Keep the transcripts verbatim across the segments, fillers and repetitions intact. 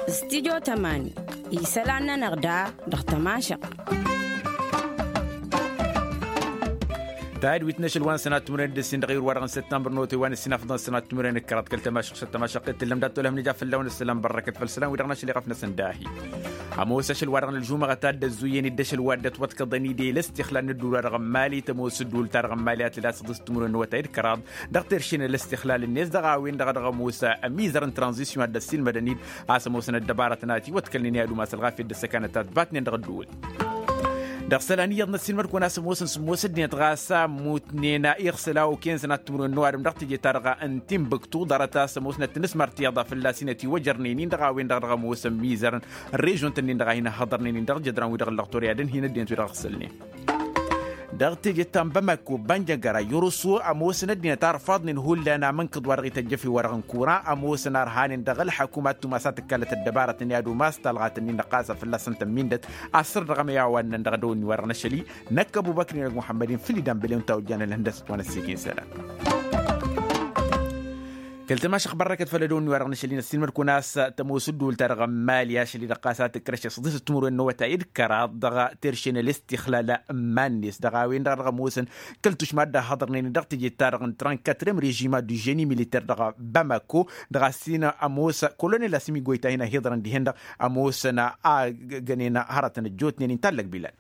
Studyo tămani isălan-nănăɣ da dăɣ-tămašăɣt. Tadwit n-ašăl wa n-sănat timǝrwen d-ǝssin dăɣ-iwǝr wa dăɣ-n săttămbăr n-otăy wa n-ǝssin afḍăn sănat timǝrwen d-kăraḍ kăl-tămašăɣt s-ăttămašăɣt t-tǝllăm dat-tolăh n-ija fălla-wen ǝssălan bărrăkăt făll-isălan wi-dăɣ n-ašăl iɣăf-năsăn dahi. Ămoos ašăl wa dăɣ-nălžumăɣăt ad-dd-ăzzuyyăn-dd ašăl wa dd-ătwătkăḍăn-dd i-lăstixlal n-ădduul wa dăɣ-n mali tămoos ădduul-ta-dăɣ n-mali a tǝla s-ăḍǝs timǝrwen n-awătay d-kăraḍ dăɣ-terše n-alăstixlal-net dăɣ-a-wen-dăɣ dăɣ-ămoos ămizăr n-tranzisyon ad-dd-ăssiilmădăn-dd a-s ămoosăn ăddăbarătăn a ătiwătkălnen i-ad-umas ălɣafyăt d-ăssăkanăt a ătbatnen dăɣ-ădduul. Dăɣ-isălan iyyăḍ n-ăssiilmăd-kăwăn a-s ămoosăn sǝmmos ăddinăt ɣas a ămmutnen iɣsǝl a okăyăn sănat timǝrwen n-oadǝm dăɣ-teje-ta-dăɣ n-timbuktu ḍarăt a-s ămoosnăt tǝnǝsmăr tiyyăḍ a fălla-s inătiwăjărnen-in dăɣ-a-wen-dăɣ dăɣ-ămoosăn mizărăn režion-tăn-in-dăɣ a hin-ăhhăḍărnen-in dăɣ-jădran-wi-dăɣ n-lăɣtor i-ad-ănhǝyăn ăddinăt-wi-dăɣ ăɣsǝlnen. Dăɣ-teje ta n-bamako banjăngăra yărusu ămoosăn ăddinăt a ărfaḍnen hullan amǝnkǝḍ wa dăɣ-ităjjăf i-wa-dăɣ n-kura ămoosăn a ărhanen dăɣ-ălḥăkum ad-tumas a tǝkkalăt ăddăbarătăn i-ad-umas talɣat-nin-dăɣ ɣas a fălla-săn tămmindăt. Asăr dăɣ-amăyawan-năn dăɣ-dăwǝnni wa dăɣ-năšăli năkk ăbubăkr-in ăgg muḥămmăd-in făll-idan bălew n-tawǝjjan ălhăndăsăt wa n-ăssiikin isălan. Kăl-tămašăɣt bărrăkăt făll-ădăwǝnni wa dăɣ-năšăl-in ăssiilmăd-kăwăn a-s tămoos ădduul-ta-dăɣ n-mali ašăl-i-dăɣ ɣas a tǝkrăšăs ăḍisăt timǝrwen n-awătay d-kăraḍ dăɣ-terše n-alăstixlal n-iman-net dăɣ-a-wen-dăɣ dăɣ-ămoosăn kăl-tušma a dd-ăhhăḍărnen-in dăɣ-teje-ta-dăɣ n-trănkătrem režima du ženi militer dăɣ-bamako dăɣ-a-s hin-ămoos kolonel asǝmigoy ta hin-ăhiḍărăn dihen-dăɣ ămoosăn a gănen hărătăn ăjjootnen-in tallăg bilal.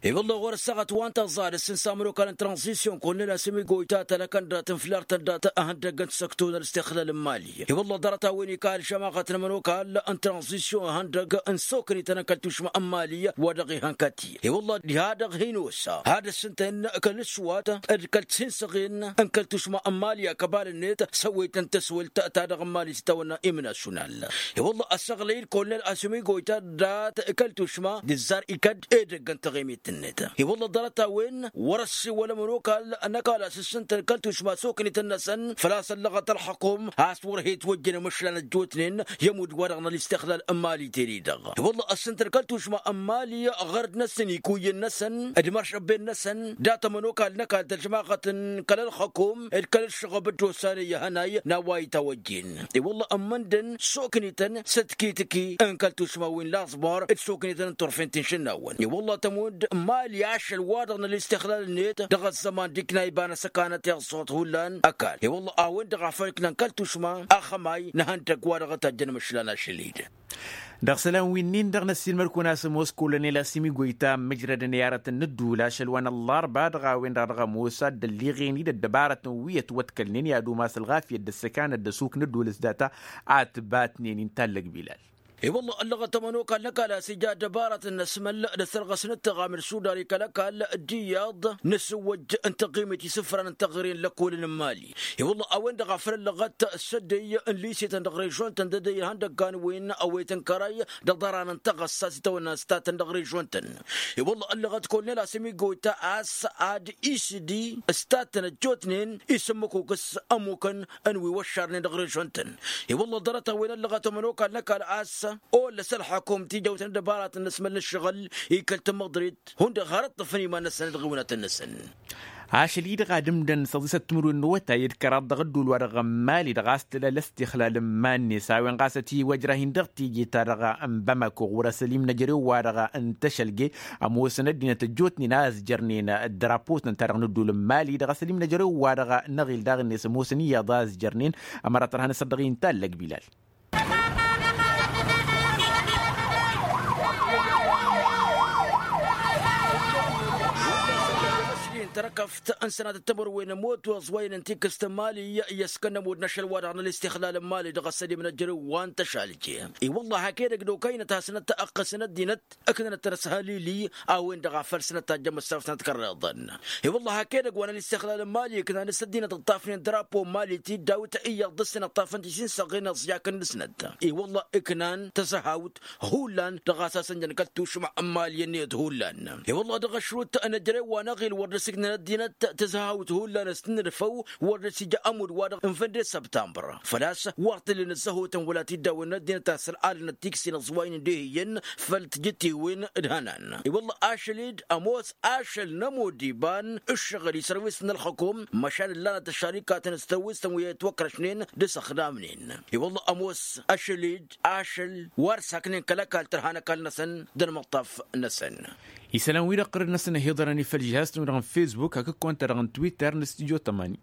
I-wălla ɣur-ăssaɣ ătwantăẓ ad-ăssǝnsa ămănokal n-tranzisyon kolonel asǝmigoy ta tălăkăn dat-inflar-tăn dat-ihăndăgg n-săkto n-alăstixlal n-mali. I-wălla ḍarăt-a-wen ikal šămaɣăt n-ămănokal n-tranzisyon ihăndăgg n-soknităn n-kăl-tušma n-mali wa dăɣ-ihăn kăti. I-wălla diha-dăɣ hin-osa ad-ăssǝntăn kăl-ǝšwat d-kăl-tinsăɣen n-kăl-tušma n-mali akăbal-net săwwăytăn tăswălt ta dăɣ-mali s-tawănna imnasyunal. I-wălla ăssăɣlăy-dd kolonel asǝmigoy ta dat-kăl-tušma d-ǝzzar ikădd edăgg n-taɣimit-net. I-wălla ḍarăt-a-wen wăr-ăssiwăl ămănokal n-ăkall a-s ǝssǝntăn kăl-tušma soknităn-năsăn făl-a-s ăllăɣăt ălxăkum a-s wăr he-ătwăjjăn imǝšlan ăjjootnen i-ămudd wa-dăɣ n-alǝstixlal n-mali teri-dăɣ. I-wălla ăssǝntăn kăl-tušma n-mali ɣărd-năsăn ikuyyăn-năsăn d-imăršăbben-năsăn dat-ămănokal n-ăkall tălžmaɣăt n-kăl-ălxăkum d-kăl-ǝššăɣăb dd-osanăy ihănay n-a-wa itawăjjen. I-wălla ămmăndăn soknităn s-ătkitǝki n-kăl-tušma wi n-laẓmar d-soknităn n-turfen ti n-išǝnnawăn. I-wălla tămund mali ašăl wa dăɣ-năl istixlal-net dăɣ-ăzzăman d-ikna iba n-asăkanăt iẓẓuɣăt hullan ăkall. I-wălla a-wen-dăɣ a făl ǝknan kăl-tušma axămay n-ihăndăgg wa dăɣ-tăjjăn imǝšlan ašăl-i-dăɣ. Dăɣ-isălan wi-nin-dăɣ n-ăssiilmăd-kăwăn a-s ămoos kolonel asǝmigoy ta ǝmmǝjrădăn i-aratăn n-ǝddǝwǝl ašăl wa n-ăllarba dăɣ-a-wen-dăɣ dăɣ-ămoos a dd-ălliɣen-dd ăddăbarătăn wi ătwătkălnen i-ad-umas ălɣafyăt d-ăssăkanăt d-ăsuk n-ǝddǝwǝl s-data a ătbatnen-in tallăg bilal. I-wălla ăllăɣăt ămănokal n-ăkall a-s ija ăddăbarătăn n-asmăl d-asărɣăs n-ǝttăɣam d-sudar i-kăl-ăkall d-iyyăḍ n-asǝwwăj n-taɣimit isǝfran n-taɣre n-lăkkolăn n-mali. I-wălla a-wen-dăɣ a făl ăllăɣăt s-ăddey n-lisetăn dăɣ-režion-tăn d-ăddey n-ihăndăggan wen ăwwet n-kărăy dăɣ-iḍarran n-taɣăssa s-itawănna s-tattăn dăɣ-režion-tăn. I-wălla ăllăɣăt kolonel asǝmigoy ta a-s ad-isǝdi s-tattăn ăjjootnen isǝmmǝkuk s-ămmukăn n-wi wăššarnen dăɣ-režion-tăn. I-wălla ḍarăt-a-wen ăllăɣăt ămănokal n-ăkall a-s ollăs ălxăkum tijawt n-ăddăbarăt n-asmăl n-ǝššăɣǝl i-kăl-tamăḍrit hundăɣ har ǝṭṭǝfăn iman-năsăn d-ɣiwǝnătăn-năsăn. Ašăl-i-dăɣ ad-ǝmdăn s-ăḍisăt timǝrwen n-awătay d-kăraḍ dăɣ-ǝddul wa dăɣ-ămmali dăɣ-a-s tǝla lăstixlal n-iman-net a-wen ɣas ătiwăjrah-in dăɣ-tije-ta-dăɣ n-bamako ɣur-ăsăl imnăjărew wa dăɣ-n tăšălge. Ămoosăn ăddinăt ăjjootnen a ăzjărnen drapo-tăn ta dăɣ-nǝddul n-mali dăɣ-asăl imnăjărew wa dăɣ-năɣil daɣ-net ămoosăn iyyăḍ a ăzjărnen. Ămăra tărha n-asăddăɣ-i n-tallăg bilal. Tărkăft n-sănatăt timǝrwen ămoot wa ăẓwăyăn n-tikǝst n-mali i-ăskănnămud n-ašăl wa dăɣ-nălistixlal n-mali dăɣ-asăl imnăjărew wa n-tăšalje. I-wălla hak edăgg d-okăynăt hasnăt ăqqăsăn ăddinăt ǝknănăt tărăshălili a-wen-dăɣ a făl sănăt tajjăm ăssărăf sănăt kărreḍăn. I-wălla hak edăgg wa n-alistixlal n-mali ǝknan s-ăddinăt ǝṭṭafnen drapo n-mali ti dd-awǝt iyyăḍ dăr-săn ǝṭṭafăn tisinsăɣen ăẓyakăn dăr-snăt. I-wălla ǝknan tăzăhawt hullan dăɣ-a-s asănjăn kăl-tušma n-mali ănniyăt hullan. I-wălla dăɣ-ašrut n-ejărew wa n-aɣil wăr dăr-s ăddinăt tǝzhăhăwt hullan s-tǝnnǝdfăw wăr dăr-s ija ămudd-wa-dăɣ n-fănde săbtămbăr. Făl-a-s wăr t-ǝllǝn ăzzăhotăn wăla t-dd-awănna ăddinăt a-s ăl'alăn ăttiksǝyăn ăẓwaynen d-ehǝyyăn făll-tijǝttiwen d-hănan. I-wălla ašăl-dd ămoos ašăl n-ămodd iba n-ǝššăɣǝl isărwisăn ălxăkum măšan ǝllanăt ăššărikatăn s-tărwisăn wi ătwăkrăšnen d-asăxdamnen. I-wălla ămoos ašăl-dd ašăl wăr saknen kăl-ăkall tărha n-ăkall-năsăn d-ălmăṭṭaf-năsăn. Isălan-wi-dăɣ ɣur-năsăn ăhiḍărăn i-făll-žihaz-tăn-wi-dăɣ n-fesbuk hakd kăwăn-ta-dăɣ n-twitter n-studyo tămani.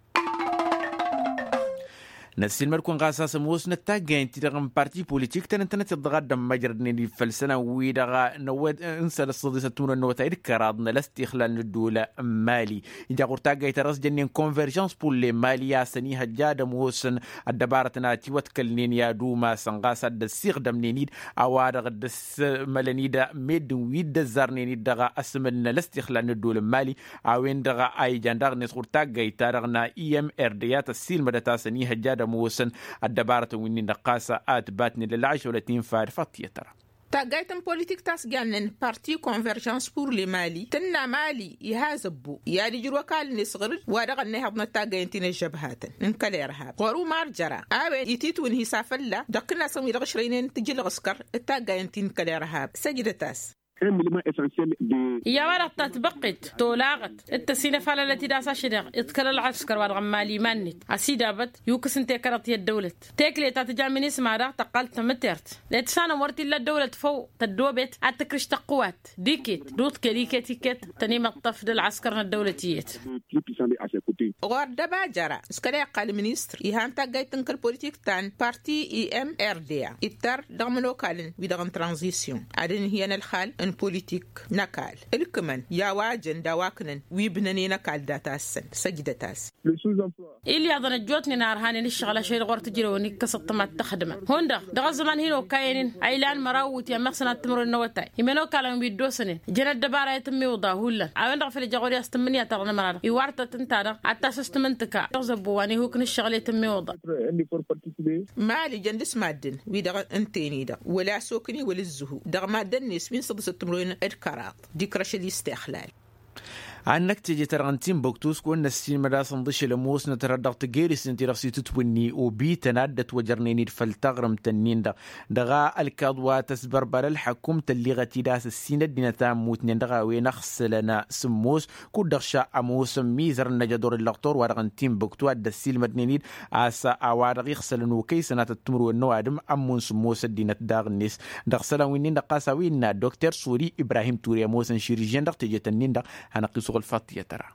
Năssiilmăd-kăwăn ɣas a-s ămoosnăt taggayen-ti-dăɣ n-parti politik tăn-ǝntănăt iḍḍăɣ ad-dd-ămmăjrădnen-dd făll-isălan-wi-dăɣ n-ăwwăd n-săl-ăssăḍisăt timǝrwen n-awătay d-kăraḍ n-ălăstixlal n-ădduul n-mali. Ija ɣur-taggayt ta dăɣ-s jănnen converjăns pur le mali a-s ănihăjja ad-ămoosăn ăddăbarătăn a tiwătkălnen i-ad-umasăn ɣas ad-dd-ăssiɣdămnen-dd a-wa-dăɣ dd-ăssămălăn-dd meddǝn wi dd-ăzzarnen-dd dăɣ-asǝmǝl n-ălăstixlal n-ădduul n-mali. A-wen-dăɣ a ijan daɣ-net ɣur-taggayt-ta-dăɣ n-imrd i-ad-tăssiilmădăt a-s ănihăjja ad-ămoosăn ăddăbarătăn wi-nin-dăɣ ɣas a ǝtbatnen lălɣaš wăla t-infa d-făṭṭiyăt tăra. Taggayt n-politik ta s-jannen parti converjăns pur le mali tǝnna mali iha zăbbo i-ad-ijrǝw ăkall-net ɣǝr-dd wa dăɣ-ănnihăḍnăt taggayen ti n-ăžžăbhatăn n-kăl-irhab ɣur-umar jăra. A-wen ititwǝnhǝy s-afălla dăɣ-kǝnnasăn wi dăɣ-ǝšrăynen tǝjǝlɣǝskăr d-taggayen ti n-kăl-irhab săjdăt-as. Iyyăr wa-dăɣ tatbăqqet tolaɣăt d-tăsinăfalălăt-dd a-s ašăl-i-dăɣ iḍkăl ălɣăskăr wa-dăɣ n-mali iman-net a-s idabăt yukǝs n-tekăraḍt i-ăddăwlăt. Tekle ta tǝja minisma daɣ tăqqal tamǝtert letǝsanăm wăr t-illa ăddăwlăt făw tăddobet ad-tǝkrǝš tăqqǝwat d-iket d-uḍkel iket-iket. Tăn-imăṭṭăf d-ălɣăskăr n-ăddăwlăt iyyăt. Ɣur-dd ăbajăra s-kăla iqqal ministăr ihan taggayt n-kăl-politik ta n-parti i-mrda ittăr dăɣ-imănokalăn wi-dăɣ n-tranzisyon ad-ǝnhǝyăn ălxal n-politik n-ăkall ǝlkǝmăn i-a-wa jăn d-a-wa ǝknăn wi bǝnănen ăkall data-săn. Săjdăt-as. Ilyaḍăn ăjjootnen a ărhanen ǝššăɣǝl ašăl-i-dăɣ wăr t-ǝjrewăn ikkăs ǝṭṭǝm ad-t-ăxdǝmăn hundăɣ dăɣ-ăzzăman hin-okayăn-in a ilan măraw iwǝtyan măɣsăn ad-t-ǝmrǝwăn n-awătay. Imănokalăn wi dd-osănen jăn ăddăbara i-tǝmmiwǝḍa hullan a-wen-dăɣ a făl ija ɣur-i a-s tǝmmǝnǝya ta dăɣ-nămăra-dăɣ iwar-tăt ǝnta-dăɣ ad-tasǝstǝm n-tǝka dăɣ-zăbbo wa n-ihuk n-ǝššăɣǝl i-tǝmmiwǝḍa. Mali jăn dăɣ-s maddǝn wi-dăɣ ǝnta-en-i-dăɣ wăla s-okǝni wăla ǝzzǝhu dăɣ-maddǝn-net wi n-săḍǝsăt timǝrwen d-kăraḍ d-ikrăšăl istixlal. Ad-năkk teje-ta-dăɣ n-tinbuktu s-kăwăn-năssiinmăd a-s ǝnḍǝšel ămoosnăt rad dăɣ-tagerisin-ti-dăɣ s-itǝtwǝnni obităn a dd-ătwăjărnen-dd făll-taɣrǝmt-nin-dăɣ dăɣ-ălkaḍ wa tăsbărbal ălḥăkum tălliɣăt-dd a-s ǝssin ăddinăt a ămmutnen dăɣ-a-wen ăɣsǝlăn sǝmmos. Kud-dăɣ šăɣ ămoosăn mizăr n-ajăḍur ǝllăɣtor wa-dăɣ n-tinbuktu a dd-ăssiilmădnen-dd a-s a-wa-dăɣ iɣsălăn okăy sănatăt timǝrwen n-ăwadǝm ămmun sǝmmos ăddinăt daɣ-net. Dăɣ-isălan wi-nin-dăɣ ɣas a-wa innă dokter suri ibrahim ture ămoosăn širijjen dăɣ-tejet-nin-dăɣ. Hanăɣ-t-isuɣǝl faḍt i-ad-tăra.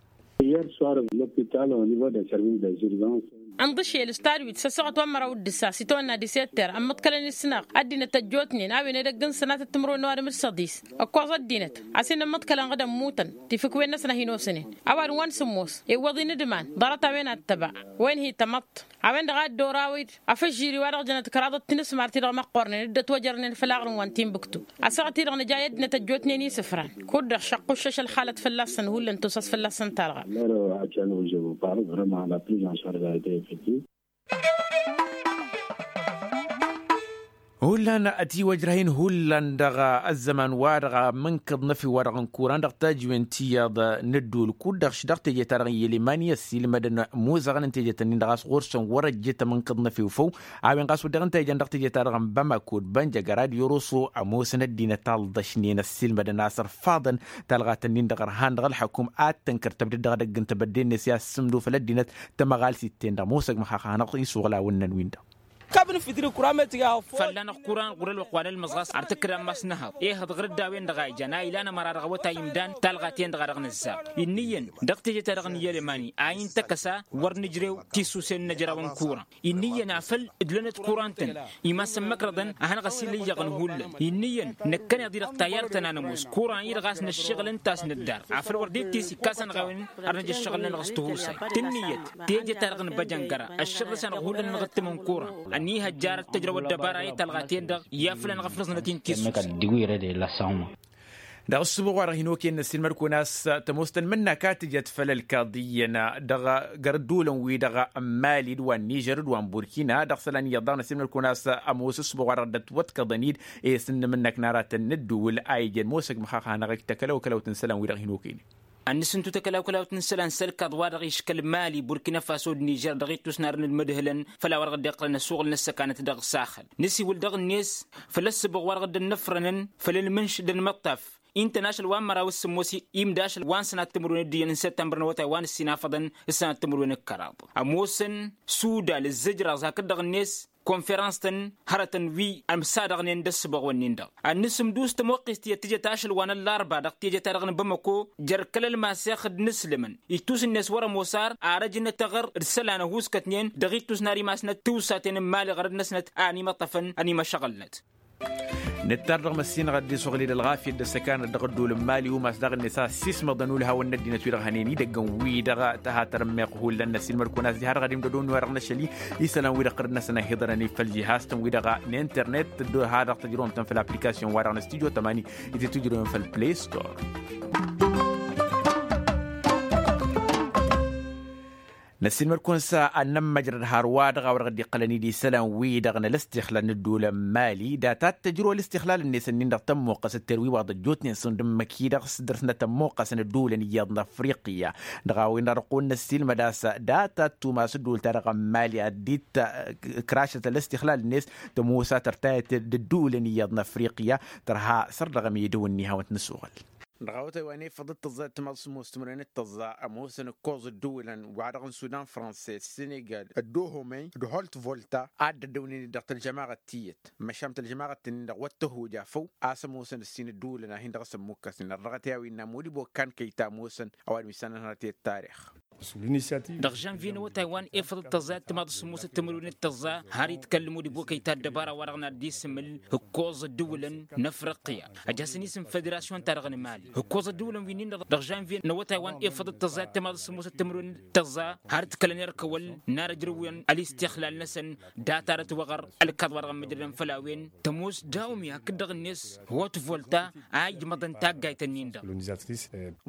Ǝnḍǝšel s-tadwit s-ăssaɣăt wa n-măraw d-ǝssa s-itawănna disetter ămmăḍkălăn isnaɣ ăddinăt ăjjootnen a-wen edăgg n-sănatăt timǝrwen n-ăwadǝm d-săḍis. Ǝkkoẓ ăddinăt a-s hin-ămmăḍkălăn ɣǝd ămmutăn tifǝkwen-năsăn a hin-osănen ăwadǝm wa n-sǝmmos iwwăḍ-in d-iman ḍarăt a-wen ad-tăba. Wa inhǝy tamăḍt a-wen-dăɣ a dd-oraw-dd afǝžžiri wa dăɣ-jănăt kăraḍăt tinǝsmar-ti-dăɣ măqqornen dd-ătwăjărnen făll-aɣrǝm wa n-tinbǝktu. Ăssaɣăt-i-dăɣ nǝja i-ăddinăt ăjjootnen isǝfran kud-dăɣ šăqquššăš ălxalăt fălla-săn hullan tusas fălla-săn talɣa. Hullan ătiwăjrăh-in hullan dăɣ-ăzzăman-wa-dăɣ amǝnkǝḍ n-efew-wa-dăɣ n-kuran dăɣ-tajǝwen ti iyyăḍ n-ădduul kud-dăɣ š-dăɣ teje-ta-dăɣ n-yălemani ăssiilmădăn imuzăɣăn n-teje-tăn-in-dăɣ a-s ɣur-săn wăr-ăjjǝt amǝnkǝḍ n-efew făw. A-wen ɣas wăr dăɣ-ǝnta ijan dăɣ-teje-ta-dăɣ n-bamako d-bănjăgăr ad-iroso ămoosăn ăddinăt a ǝlḍăšnen ăssiilmădăn a-s ărfaḍăn talɣa-tăn-in-dăɣ ărhan dăɣ-ălxăkum ad-tănkăr tăbdăd dăɣ-edăgg n-tebădde-net i-ad-sǝmdufăl ăddinăt. Tămăɣalt itte-n-dăɣ musăg măxax hanăɣ-isuɣǝl a wănnăn-win-dăɣ. Fălla-năɣ kura metǝga fălla-năɣ kura n-ɣur-ălwăqq wa n-ălmăẓɣas ar tǝkkǝd ammas n-ehăḍ ehăḍ ɣǝr-dd a-wen-dăɣ a ijan a ilan ămăra dăɣ-awătay imdan talɣa-ten-dăɣ a dăɣ-nǝzzar. Inn'-iyyăn dăɣ-teje-ta-dăɣ n-iyălemani a intăkk ăsa wăr nǝjrew tisusen n-ajraw n-kura. Inn'-iyyăn afăl ǝdlănăt kura n-tăn imass ămmăkrăḍăn a hanăɣ-ăsillăyyăɣăn hullan. Inn'-iyyăn năkkăneḍ-i-dăɣ tayyarăt ta n-anămoos kura-i-dăɣ a-s năššiɣǝl ǝnta a-s nǝddar afăl wăr dd-itis ikkas anăɣ-a-wen ar năj ăššăɣǝl-nănăɣ s-tihusay. Tǝnniyăt teje-ta-dăɣ n-băjăngăra ăššăɣǝl-s anăɣ hullan ănɣǝttǝm n-kura. Ănihăjjarăt tăjrăw ăddăbara i-talɣa-ten-dăɣ i-afăl anăɣ-ăfnăẓnăt-in tissus. Dăɣ-ǝssǝbuɣ wa-dăɣ hin-okăyăn n-ăssiilmăd-kăwăn a-s tămoos tănmǝnnak a tǝjăt făll-ălkaḍ iyyăn dăɣ-gărdulăn-wi-dăɣ n-mali d-wa n-nižer d-wa n-burkina dăɣ-isălan iyyăḍ daɣ n-ăssiilmăd-kăwăn a-s ămoos ǝssǝbuɣ wa-dăɣ dd-ătwăḍkăḍăn-dd. Esǝnnǝm ǝnnak n-aratăn n-ǝddǝwǝl a ijen mosăg măxax hanăɣ-ăj takălăwkălăwt n-isălan-wi-dăɣ hin-okăynen. Ad-nǝsǝntu takălaw-kălawt n-isălan s-ălkaḍ wa dăɣ-iškăl mali burkina faso d-nižer dăɣ-ittus n-arăn d-imǝdhǝlăn făll-a-wa dăɣ-dd-iqqălăn ăsuɣǝl n-ăssăkanăt dăɣ-saxăl. Nǝsiwǝl dăɣ-net făll-ăssǝbăɣ wa dăɣ-dd-ănnăfrănăn făll-ălmǝnš d-ănmăṭṭaf. Ǝnta n-ašăl wa n-măraw s-sǝmmos imda ašăl wa n-sănat timǝrwen d-iyyăn n-săttămbăr n-awătay wa n-ǝssin afăḍăn s-sănat timǝrwen d-kăraḍ. Ămoosăn sudal ǝzzǝjraẓ hakd-dăɣ-net konferans-tăn hărătăn wi ămsadăɣnen d-ăssǝbăɣ-wǝnnin-dăɣ. Ad-nǝsǝmdus tămoqqest tiyyăt tǝjăt ašăl wa n-ăllarba dăɣ-teje-ta-dăɣ n-bamăko jer-kăl-ălmasex d-inǝslǝmăn ittus-net wăr-ămoos ar arăj n-etăɣăr d-isălan ăhuuskătnen dăɣ-ittus n-ar imasnăt tiwsaten n-imali ɣărăd-năsnăt a ănimăṭṭăfăn ănimăšăɣǝlnăt. Nǝttar dăɣ-măssinăɣ ăddis uɣlid ălɣafyăt d-ăssăkanăt dăɣ-ădduul n-imali umas daɣ-net a ăssiismăḍăn ulhawăn n-ăddinăt wi-dăɣ hănen idăggăn wi-dăɣ tăhatăr ămmeɣ hullan n-ăssiilmăd-kăwăn a-s diha dăɣ-ad-imdădon wi-wa-dăɣ n-ašăl-i isălan wi-dăɣ ɣărăd-năsăn a hi-iḍărăn i-făll-jihaz-tăn wi-dăɣ n-internet. Dăr-ha-dăɣ tăjrăwăm-tăn făll-application-wa-dăɣ n-studio tămani i-titǝjrăwen făll-play store. Năssiilmăd-kăwăn s-ad-nămmăjrăd hărwa-dăɣ a-wa dăɣ-dd-iqqălăn-dd isălan-wi-dăɣ n-ălăstixlal n-ădduul n-imali data t-tăjrăw ălăstixlal-net ǝnnin-dăɣ tămmuqqăs ătterwiwaḍ ăjjootnen s-undǝmmăk-i-dăɣ s-dăr-snăt ămmuqqăsăn ădduulăn iyyăḍ n-afriqya. Dăɣ-a-wen-dăɣ dăɣ-kăwăn-năssiilmăd a-s data t-tumas ădduul-ta-dăɣ n-imali ad-dd-t-kărašăt ălăstixlal-net tămoos a tărtayăt d-ădduulăn iyyăḍ n-afriqya. Tărha săr-dăɣ ămidăw ǝnni hawăn-t-nǝsuɣǝl. Dăɣ-awătay wa n-efăḍ d-tăẓẓa d-timaḍ s-ămoos timǝrwen d-tăẓẓa ămoosăn ǝkkoẓ ădduulăn wa-dăɣ n-sudan franse d-senegal d-dohomey d-holt volta a dd-ăddăwnen-dd dăɣ-tălžămaɣăt tiyyăt măšan tălžămaɣăt-tăn-in-dăɣ wăr tăhhuja făw a-s ămoosăn ǝssin ădduulăn a hin-dăɣ-s ămmukkăsnen ărdăɣăt i-a-wen n-amudibokkan kăy-ta ămoosăn. Ăwadǝm isănăhărăt i-ăttarix. Dăɣ-žănvye n-awătay wa n-efăḍ d-tăẓẓa d-timaḍ s-ămoosăt timǝrwen d-tăẓẓa har itkăl mudibokăy ta ăddăbara wa-dăɣ n-ad-dd-isǝmǝl ǝkkoẓ ădduulăn n-afriqya. Ăj hasăn-isǝm federasyon-ta-dăɣ n-imali ǝkkoẓ ădduulăn wi-nin-dăɣ dăɣ-žănvye n-awătay wa n-efăḍ d-tăẓẓa d-timaḍ s-ămoosăt timǝrwen d-tăẓẓa har ǝtkălăn erk awăl n-ad-ăjrăwăn ălistixlal-năsăn. Data-dăɣ tiwăɣăr ălkaḍ wa dăɣ-ămmăjrădăn făll-a-wen tămoos dawmi hakd-dăɣ-net hot volta a ijmăḍăn taggayt-ǝnnin-dăɣ.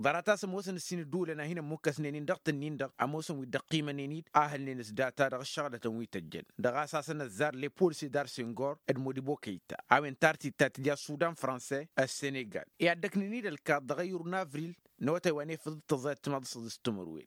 Ḍarăt-as ămoosăn ǝssin ădduulăn a hin-ămmukkăsnen-in dăɣ-tǝnnin-dăɣ ămoosăn wi dd-ăqqimănen-dd a hǝlnen s-data dăɣ-ǝššăɣlătăn wi tăjjăn dăɣ-a-s hasăn-ăzzar lepol sedar sengor d-modibo kăyta a-wen tartit ta tǝja sudan franse. Ăssenegal i-ad-dd-ăknen-dd ălkaḍ dăɣ-ayǝr n-avril n-awătay wa n-efăḍ d-tăẓẓa d-timaḍ s-săḍis timǝrwen.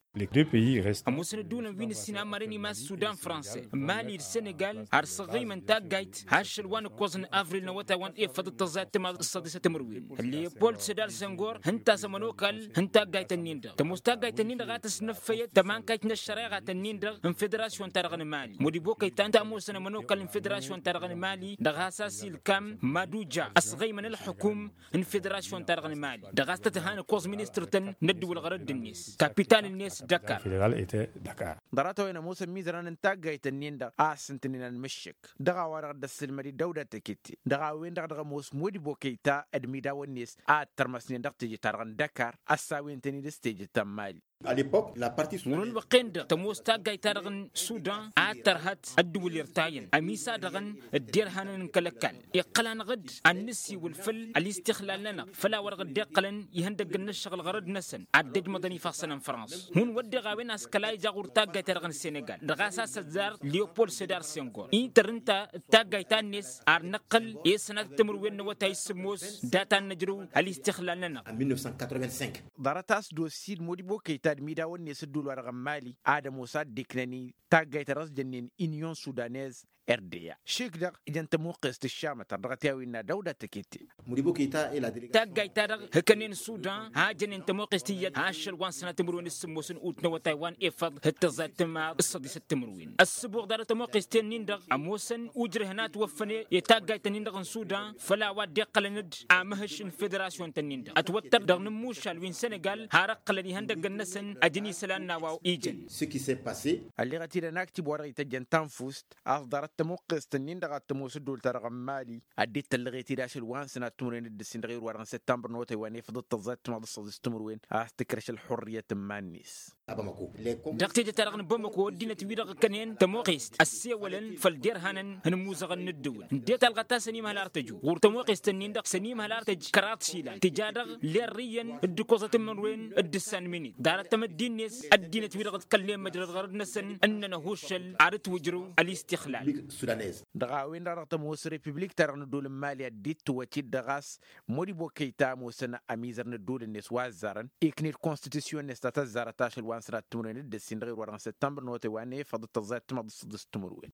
Ămoosăn ădduulăn wi n-ǝssin ammaren imas sudan franse mali d-senegal ar săɣɣăymăn taggayt ašăl wa n-ǝkkoẓ n-avril n-awătay wa n-efăḍ d-tăẓẓa d-timaḍ s-săḍis timǝrwen. Leopold sedar sengor hǝnta s-ămănokal n-taggayt-ǝnnin-dăɣ tămoos taggayt-ǝnnin-dăɣ a tăsnăffăyăt tămankayt n-ăššăreɣa-tăn-in-dăɣ n-federasyon-ta-dăɣ n-mali modibokăy ta ǝnta ămoosăn ămănokal n-federasyon-ta-dăɣ n-mali dăɣ-hasas ilkam maduja ăsɣăymăn ălxǝkum n-federasyon-ta-dăɣ n-mali dăɣ-a-s tăt-han ǝkkoẓ ministăr-tăn n-ăddǝwǝl ɣărădd-net kapital-net dakar. Ḍarăt-a-wen ămoosăn imizăran n-taggayt-ǝnnin-dăɣ a ăssintǝnen ănmǝššǝk dăɣ-a-wa-dăɣ dd-ăssǝlmăd-dd ăwda tăkete dăɣ-a-wen-dăɣ dăɣ-ămoos modibokăy ta d-imidawăn-net a ăttărmăsnen dăɣ-teje-ta-dăɣ n-dakar ăssawintăn-dd s-teje ta n-mali. Ɣur-ălwăqq-en-dăɣ tămoos taggayt-ta-dăɣ n-sudan a tărhăt ăddǝwǝl irtayăn ămisa-dăɣ n-dd-irhanăn n-kăl-ăkall iqqăl-anăɣ-dd ad-nǝsiwǝl făll-ălistixlal-nănăɣ făll-a-wa-dăɣ dd-iqqălăn ihăndăgg n-ăššăɣǝl ɣărăd-năsăn ad-dd-ăjmăḍăn ifassăn n-frans hun wădden a-wen a-s kăla ija ɣur-taggayt-ta-dăɣ n-senegal dăɣ-a-s a-s ăzzar leopold sedar sengor inter ǝnta d-taggayt ta-net ar năqqǝl i-sănat timǝrwen n-awătay s-sǝmmos data n-năjrǝw ălistixlal-nănăɣ. Ḍarăt-as d-osid modibokăy ta d-imidawăn-net ădduul-wa-dăɣ n-mali ad-ămoos ad-dd-iknăn-i taggayt ta dăɣ-s jănnen inyon sudanez. Rda šik-dăɣ ijăn tămuqqest ǝššamătăr dăɣ-t i-a-wen n-ad-ăwda tăkete. Taggayt-ta-dăɣ hǝkănen sudan a jănen tămuqqest iyyăt ašăl wa n-sănat timǝrwen d-sǝmmos n-ut n-awătay wa n-efăḍ d-tăẓẓa d-timaḍ s-săḍisăt timǝrwen ăssǝbuɣ ḍarăt tămuqqest-en-in-dăɣ ămoosăn ujrăh n-ad-t-wăffăn i-taggayt-ǝnnin-dăɣ n-sudan făll-a-wa dd-iqqălăn-dd amǝhǝš n-federasyon-tăn-in-dăɣ ătwăttăr dăɣ-inǝmmušal wi n-senegal har ǝqqǝlăn ihăndăggăn-năsăn ăjăn isălan n-a-wa ijăn. Ălleɣăt-dd ănaktib wa dăɣ-ităjjăn tanfust a-s ḍarăt tămuqqest-ǝnnin-dăɣ ad-tămoos ăddool-ta-dăɣ n-mali ăddinăt tăllăɣet-dd ašăl wa n-sănat timǝrwen d-ǝssin dăɣ-iwǝr wa dăɣ-n săttămbăr n-awătay wa n-efăḍ d-tăẓẓa d-timaḍ s-săḍis timǝrwen a-s tǝkrăš ălxurriyăt n-iman-net. Dăɣ-teje-ta-dăɣ n-bamako ăddinăt-wi-dăɣ ǝkkănen tămoqqest ăssewălăn făll-derhanăn n-imuzăɣăn n-ǝddǝwǝl ǝndet alɣăt-as ănimhăl ar tăju ɣur-tămoqqest-ǝnnin-dăɣ s-ănimhăl ar tăj kăraḍ s-ilan tǝja dăɣ-lerrǝyăn d-ǝkkoẓăt n-imǝrwen d-ǝssan minit ḍarăt tamăddin-net ăddinăt-wi-dăɣ ǝḍkălnen măjrăd ɣărăd-năsăn ǝnnăn ăhuššăl ar ǝtwǝjrǝw ălistixlal. Sudanez. Dăɣ-a-wen-dăɣ dăɣ-tămoos repiblik-ta-dăɣ n-ăddool n-mali a dd-ittǝwăt-dd dăɣ-a-s, modibo kăyta ămoosăn amizăr n-ăddool-net wa ăzzarăn iknǝy-dd konstitusiyon-net ta tăzzarăt ašăl wa n-sănat timǝrwen d-ǝssin dăɣ-irwa dăɣ-n săttămbăr n-otay wa n-efăḍ d-tăẓẓayăt timăḍ d-săḍǝs timǝrwen.